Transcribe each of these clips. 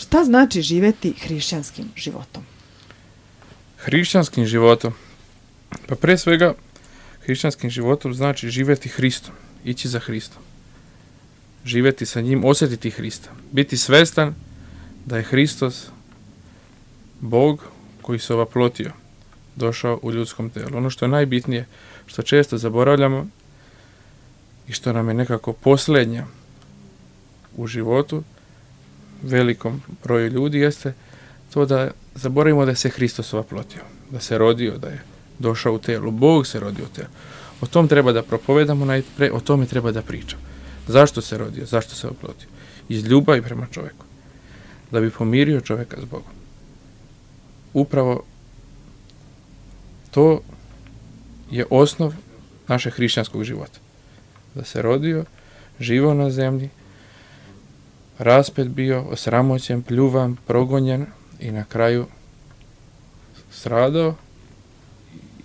Šta znači živjeti hrišćanskim životom? Hrišćanskim životom? Pa pre svega, hrišćanskim životom znači živjeti Hristom, ići za Hristom. Živjeti sa njim, osjetiti Hrista. Biti svestan da je Hristos Bog koji se ovaplotio, došao u ljudskom telu. Ono što je najbitnije, što često zaboravljamo i što nam je nekako posljednja u životu, velikom broju ljudi, jeste to da zaboravimo da je se Hristos ovaplotio, da se rodio, da je došao u telu. Bog se rodio u telu. O tom treba da propovedamo najpre, o tome treba da pričamo. Zašto se rodio, zašto se oplotio? Iz ljubavi prema čovjeku. Da bi pomirio čovjeka s Bogom. Upravo to je osnov našeg hrišćanskog života. Da se rodio, živio na zemlji, raspet bio, osramoćen, pljuvan, progonjen i na kraju stradao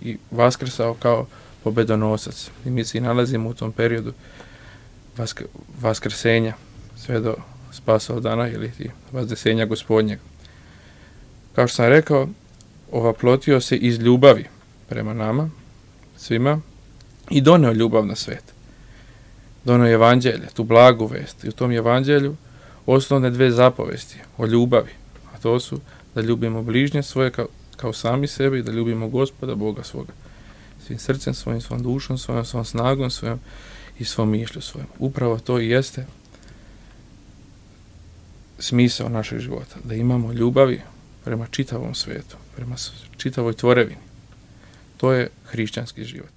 i vaskrsao kao pobedonosac. I mi se nalazimo u tom periodu vaskrsenja sve do spasao dana ili vazdesenja Gospodnjeg. Kao što sam rekao, ovaplotio se iz ljubavi prema nama, svima, i doneo ljubav na svet. Doneo evanđelje, tu blagu vest. I u tom evanđelju osnovne dve zapovesti o ljubavi, a to su da ljubimo bližnje svoje kao sami sebe i da ljubimo Gospoda Boga svoga. Svim srcem svojim, svom dušom svojom, svom snagom svojom i svom mišlju svojom. Upravo to i jeste smisao našeg života. Da imamo ljubavi prema čitavom svijetu, prema čitavoj tvorevini. To je hrišćanski život.